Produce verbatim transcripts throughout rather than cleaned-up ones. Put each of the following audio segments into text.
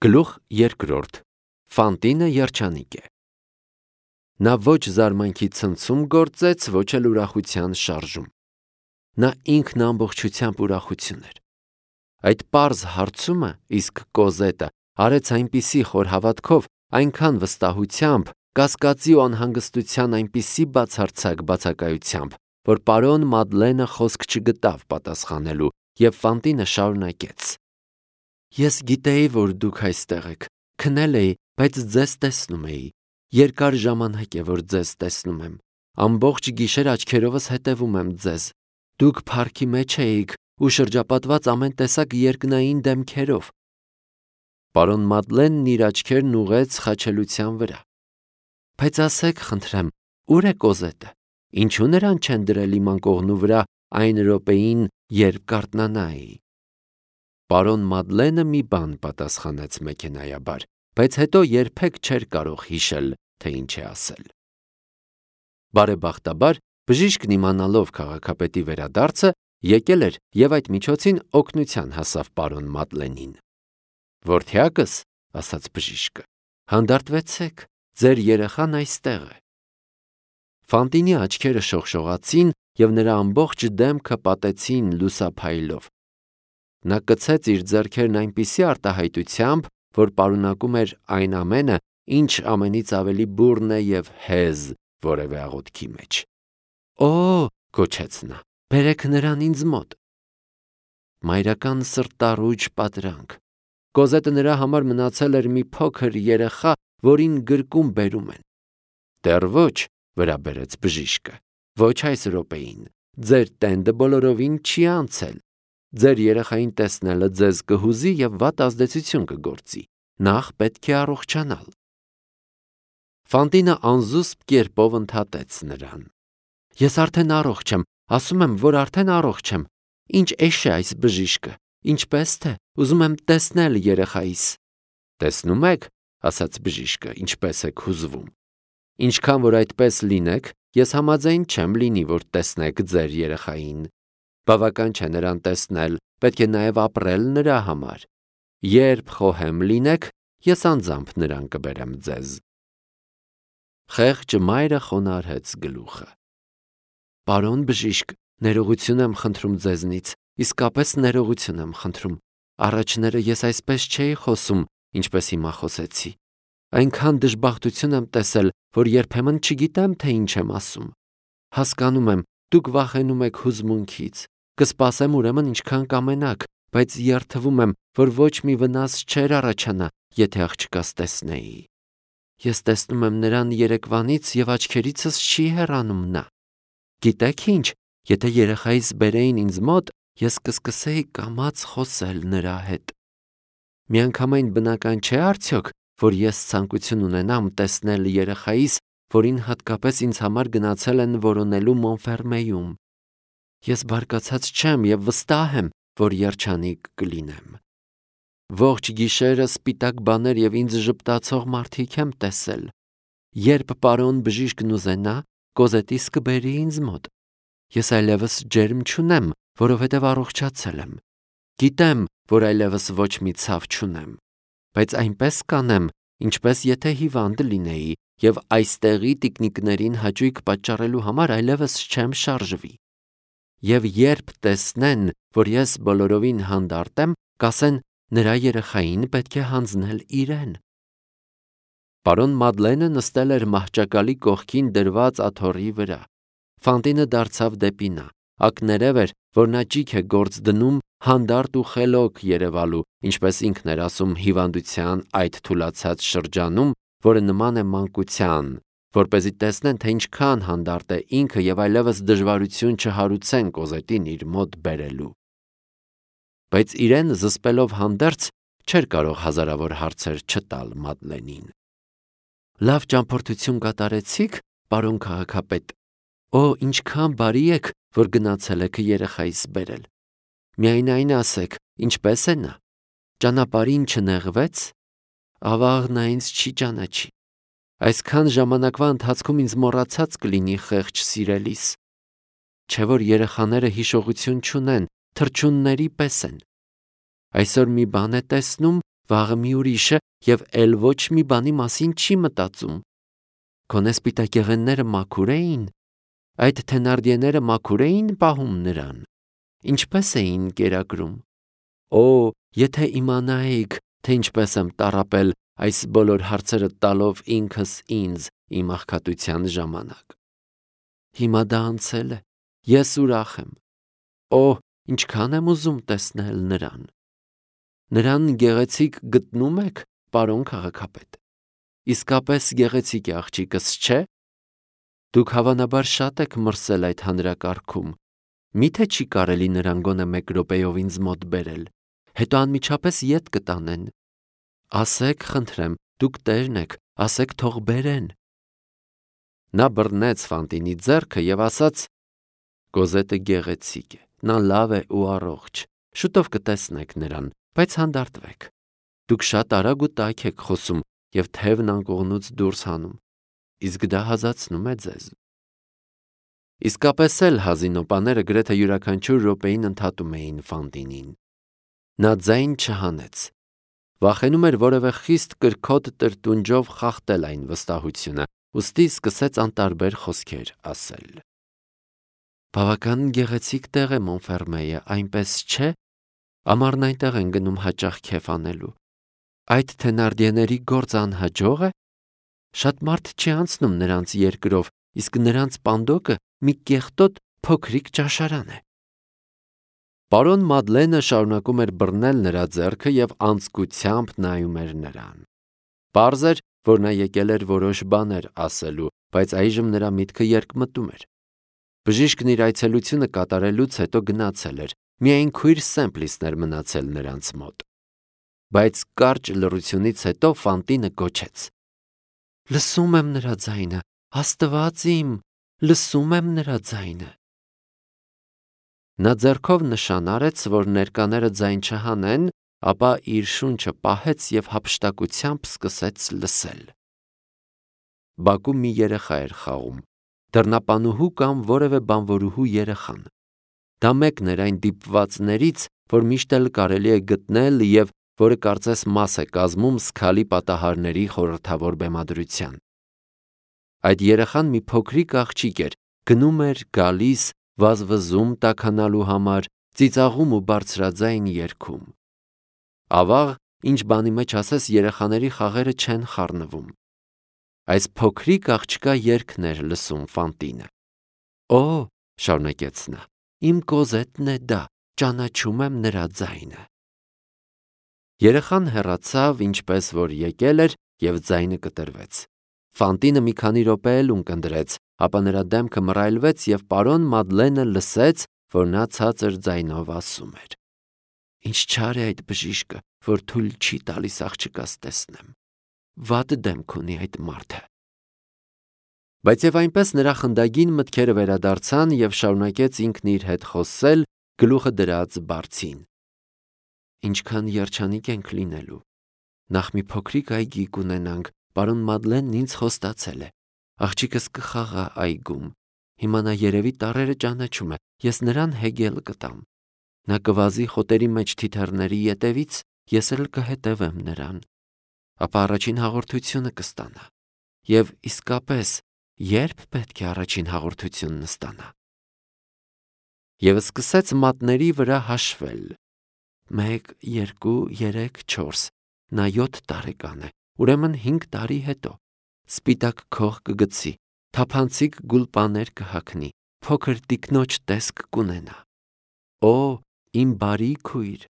Գլուխ երկրորդ. Ֆանտինը երջանիկ է։ Նա ոչ զարմանքի ցնցում գործեց, ոչ էլ ուրախության շարժում։ Նա ինքն ամբողջությամբ ուրախություն էր։ Այդ պարզ հարցումը, իսկ Կոզետը արեց այնպիսի խորհավատքով, այնքան վստահությամբ, կասկածի ու անհանգստության այնպիսի բացարձակ բացակայությամբ, որ պարոն Մադլենը խոսք չգտավ պատասխանելու, և Ֆանտինը շարունակեց. Ես գիտեի, որ դուք այստեղ եք, քնել էի, բայց ձեզ տեսնում էի։ Երկար ժամանակ է, որ ձեզ տեսնում եմ։ Ամբողջ գիշեր աչքերովս հետևում եմ ձեզ։ Դուք փառքի մեջ էիք ու շրջապատված ամեն տեսակ երկնային դեմքերով։ Պարոն Մադլենն իր աչքերն ուղղեց խաչելության վրա։ Բայց ասեք, խնդրեմ, ուր է Կոզետը։ Ինչու նրան չեն դրել իմ անկողնու վրա այն րոպեին, երբ կարթնանայի։ Պարոն Մադլենը մի բան պատասխանեց մեքենայաբար, բայց հետո երբեք չէր կարող հիշել, թե ինչ է ասել։ Բարեբախտաբար, բժիշկն իմանալով քաղաքապետի վերադարձը, եկել էր և այդ միջոցին օգնության հասավ պարոն Մադլենին։ Որդյակս, ասաց բժիշկը, հանդարտվեցեք, ձեր երեխան այստեղ է։ Ֆանտինի աչքերը շողշողացին և նրա ամբողջ դեմքը պատեցին լուսափայլով։ Նա կցեց իր ձեռքերն այնպիսի արտահայտությամբ, որ պարունակում էր այն ամենը, ինչ ամենից ավելի բուռն է և հեզ որևէ աղոթքի մեջ։ Օ, գոչեց նա, բերեք նրան ինձ մոտ։ Մայրական սրտառուչ պատրանք։ Կոզետը նրա համար մնացել էր մի փոքր երեխա, որին գրկում բերում են։ Դեռ ոչ, վրա բերեց բժիշկը, ոչ այս րոպեին, ձեր տենդը բոլորովին չի անցել։ Ձեր երեխային տեսնելը ձեզ կհուզի և վատ ազդեցություն կգործի։ Նախ պետք է առողջանալ։ Ֆանտինը անզուսպ կերպով ընդհատեց նրան։ Ես արդեն առողջ եմ, ասում եմ, որ արդեն առողջ եմ։ Ինչ էշ է այս բժիշկը, ինչպես թե, ուզում եմ տեսնել երեխայիս։ Տեսնում եք, ասաց բժիշկը, ինչպես եք հուզվում։ Ինչքան որ այդպես լինեք, ես համաձայն չեմ լինի, որ տեսնեք ձեր երեխային։ Բավական չէ նրան տեսնել, պետք է նաև ապրել նրա համար։ Երբ խոհեմ լինեք, ես անձամբ նրան կբերեմ ձեզ։ Խեղճ մայրը խոնարհեց գլուխը։ Պարոն բժիշկ, ներողություն եմ խնդրում ձեզնից, իսկապես ներողություն եմ խնդրում։ Առաջները ես այսպես չէի խոսում, ինչպես հիմա խոսեցի։ Այնքան դժբախտություն եմ տեսել, որ երբեմն չգիտեմ, թե ինչ եմ ասում։ Հասկանում եմ, դուք վախենում եք հուզմունքից։ Կսպասեմ ուրեմն ինչքան կամենաք, բայց երդվում եմ, որ ոչ մի վնաս չէր առաջանա, եթե աղջկաս տեսնեի։ Ես տեսնում եմ նրան երեկվանից և աչքերիցս չի հեռանում նա։ Գիտեք ինչ, եթե երեխայիս բերեին ինձ մոտ, ես կսկսեի կամաց խոսել նրա հետ։ Միանգամայն բնական չէ արդյոք, որ ես ցանկություն ունենամ տեսնել երեխայիս, որին հատկապես ինձ համար գնացել են որոնելու Մոնֆերմեյում։ Ես բարկացած չեմ և վստահ եմ, որ երջանիկ կլինեմ։ Ողջ գիշերը սպիտակ բաներ և ինձ ժպտացող մարդիկ եմ տեսել։ Երբ պարոն բժիշկն ուզենա, Կոզետիս կբերի ինձ մոտ։ Ես այլևս ջերմ չունեմ, որովհետև առողջացել եմ։ Գիտեմ, որ այլևս ոչ մի ցավ չունեմ, բայց այնպես կանեմ, ինչպես եթե հիվանդ լինեի, և այստեղի տիկնիկներին հաճույք պատճառելու համար այլևս չեմ շարժվի։ Եվ երբ տեսնեն, որ ես բոլորովին հանդարտ եմ, կասեն, նրա երեխային պետք է հանձնել իրեն։ Պարոն Մադլենը նստել էր մահճակալի կողքին դրված աթոռի վրա։ Ֆանտինը դարձավ դեպի նա, ակներև էր, որ նա ճիգ է գործ դնում հանդարտ ու խելոք երևալու, ինչպես ինքն էր ասում հիվանդության այդ թուլացած շրջանում, որը նման է մանկության, որպեսզի տեսնեն, թե ինչքան հանդարտ է ինքը և այլևս դժվարություն չհարուցեն Կոզետին իր մոտ բերելու։ Բայց իրեն զսպելով հանդերձ, չէր կարող հազարավոր հարցեր չտալ Մադլենին։ Լավ ճամփորդություն կատարեցի՞ք, պարոն քաղաքապետ։ Օ, ինչքան բարի եք, որ գնացել եք երեխայիս բերել։ Միայն այն ասեք, ինչպես է նա։ Ճանապարհին չնեղվեց։ Ավաղ նա ինձ չի ճանաչի։ Այսքան ժամանակվա ընթացքում ինձ մոռացած կլինի խեղճ սիրելիս։ Չէ որ երեխաները հիշողություն չունեն, թռչունների պես են։ Այսօր մի բան է տեսնում, վաղը մի ուրիշ է և էլ ոչ մի բանի մասին չի մտածում։ Գոնե սպիտակեղենները մաքուր էին, այդ թենարդիեները մաքուր էին պահում նրան, ինչպես էին կերակրում։ Օ, եթե իմանայիք, թե ինչպես եմ տառապել այս բոլոր հարցերը տալով ինքս ինձ իմ աղքատության ժամանակ։ Հիմա դա անցել է, ես ուրախ եմ։ Օ, ինչքան եմ ուզում տեսնել նրան։ Նրան գեղեցիկ գտնում եք, պարոն քաղաքապետ։ Իսկապես գեղեցիկ է աղջիկս, չէ՞։ Դուք հավանաբար շատ եք մրսել այդ հանրակարգում։ Միթե չի կարելի նրան գոնե մեկ րոպեով ինձ մոտ բերել, հետո անմիջապես ետ կտանեն։ Ասեք, խնդրեմ, դուք տերն եք, ասեք թող բերեն։ Նա բռնեց Ֆանտինի ձեռքը և ասաց. Կոզետը գեղեցիկ է, նա լավ է ու առողջ, շուտով կտեսնեք նրան, բայց հանդարտվեք։ Դուք շատ արագ ու տաք եք խոսում և թևն անկողնուց դուրս հանում, իսկ դա հազացնում է ձեզ։ Իսկապես էլ հազինոպաները գրեթե յուրաքանչյուր րոպեին ընդհատում էին Ֆանտինին։ Նա ձայն չհանեց։ Վախենում էր որևէ խիստ կրքոտ տրտունջով խախտել այն վստահությունը, ուստի սկսեց անտարբեր խոսքեր ասել։ Բավական գեղեցիկ տեղ է Մոնֆերմեյը, այնպես չէ։ Ամառն այնտեղ են գնում հաճախ քեֆ անելու։ Այդ թենարդիեների գործ անհաջող է։ Շատ մարդ չի անցնում նրանց երկրով, իսկ նրանց պանդոկը մի կեղտոտ փոքրիկ ճաշարան է։ Պարոն Մադլենը շարունակում էր բռնել նրա ձեռքը և անձկությամբ նայում էր նրան։ Պարզ էր, որ նա եկել էր որոշ բաներ ասելու, բայց այժմ նրա միտքը երկմտում էր։ Բժիշկն իր այցելությունը կատարելուց հետո գնացել էր, միայն քույր Սեմպլիսն էր մնացել նրանց մոտ։ Բայց կարճ լռությունից հետո Ֆանտինը գոչեց. Լսում եմ նրա ձայնը, Աստված իմ, լսում եմ նրա ձայնը։ Նա ձեռքով նշան արեց, որ ներկաները ձայն չհանեն, ապա իր շունչը պահեց և հափշտակությամբ սկսեց լսել։ Բակում մի երեխա էր խաղում, դռնապանուհու կամ որևէ բանվորուհու երեխան։ Դա մեկն էր այն դիպվածներից, որ միշտ էլ կարելի է գտնել և որը կարծես մաս է կազմում զգալի պատահարների խորհրդավոր բեմադրության։ Այդ երեխան մի փոքրիկ աղջիկ էր, գնում էր, գալիս, վազվզում տաքանալու համար, ծիծաղում ու բարձրաձայն երգում։ Ավաղ, ինչ բանի մեջ ասես, երեխաների խաղերը չեն խառնվում։ Այս փոքրիկ աղջկա երգն էր լսում Ֆանտինը։ Օ, շարունակեց նա, իմ Կոզետն է դա, ճանաչում եմ նրա ձայնը։ Երեխան հեռացավ, ինչպես որ եկել էր, և ձայնը կտրվեց։ Ֆանտինը մի քանի րոպե էլ ունկնդրեց, ապա նրա դեմքը մռայլվեց և պարոն Մադլենը լսեց, որ նա ցածր ձայնով ասում էր. Ինչ չար է այդ բժիշկը, որ թույլ չի տալիս աղջկաս տեսնեմ։ Վատ դեմք ունի այդ մարդը։ Բայց և այնպես նրա խնդագին մտքերը վերադարձան և շարունակեց ինքն իր հետ խոսել, գլուխը դրած բարձին։ Ինչքան երջանիկ ենք լինելու։ Նախ մի փոքրիկ այգի կունենանք, պարոն Մադլենն ինձ խոստացել է։ Աղջիկս կխաղա այգում։ Հիմա նա երևի տառերը ճանաչում է, ես նրան հեգել կտամ։ Նա կվազի խոտերի մեջ թիթեռների ետևից, ես էլ կհետևեմ նրան։ Ապա առաջին հաղորդությունը կստանա։ Եվ իսկապես, երբ պետք է առաջին հաղորդությունն ստանա։ Եվ սկսեց մատների վրա հաշվել։ Մեկ, երկու, երեք, չորս։ Նա յոթ տարեկան է, ուրեմն հինգ տարի հետո։ Սպիտակ քող կգցի, թափանցիկ գուլպաներ կհագնի, փոքր տիկնոջ տեսք կունենա։ Օ, իմ բարի քույր,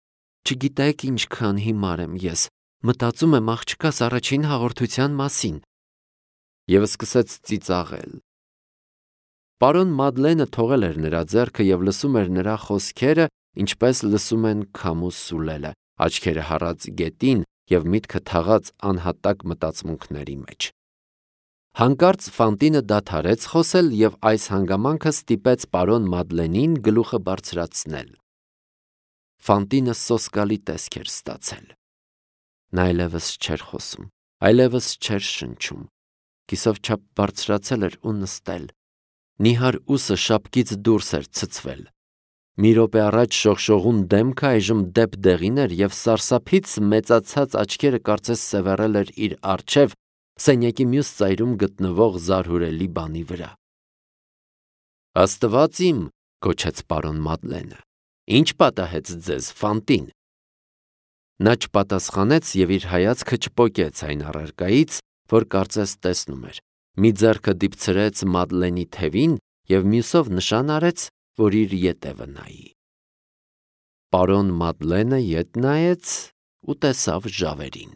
չգիտեք ինչքան հիմար եմ ես, մտածում եմ աղջկաս առաջին հաղորդության մասին։ Եվ սկսեց ծիծաղել։ Պարոն Մադլենը թողել էր նրա ձեռքը և լսում էր նրա խոսքերը, ինչպես լսում են քամու սուլելը, աչքերը հառած գետին և միտքը թաղած անհատակ մտածմունքների մեջ։ Հանկարծ Ֆանտինը դադարեց խոսել և այս հանգամանքը ստիպեց պարոն Մադլենին գլուխը բարձրացնել։ Ֆանտինը սոսկալի տեսք էր ստացել։ Նա այլևս չէր խոսում, այլևս չէր շնչում։ Կիսով չափ բարձրացել էր ու նստել։ Նիհար ուսը շապկից դուրս էր ցցվել։ Մի րոպե առաջ շողշողուն դեմքը այժմ դեպ դեղին էր և սարսափից մեծացած աչքերը կարծես սևեռել էր իր առջև սենյակի մյուս ծայրում գտնվող զարհուրելի բանի վրա։ «Աստված իմ», գոչեց պարոն Մադլենը, «ինչ պատահեց ձեզ, Ֆանտին»։ Նա չպատասխանեց և իր հայացքը չպոկեց այն առարկայից, որ կարծես տեսնում էր, մի ձեռքը դիպցրեց Մադլենի թևին և մյուսով նշան արեց, որ իր ետևը նայի։ Պարոն Մադլենը ետ նայեց ու տեսավ ժավերին։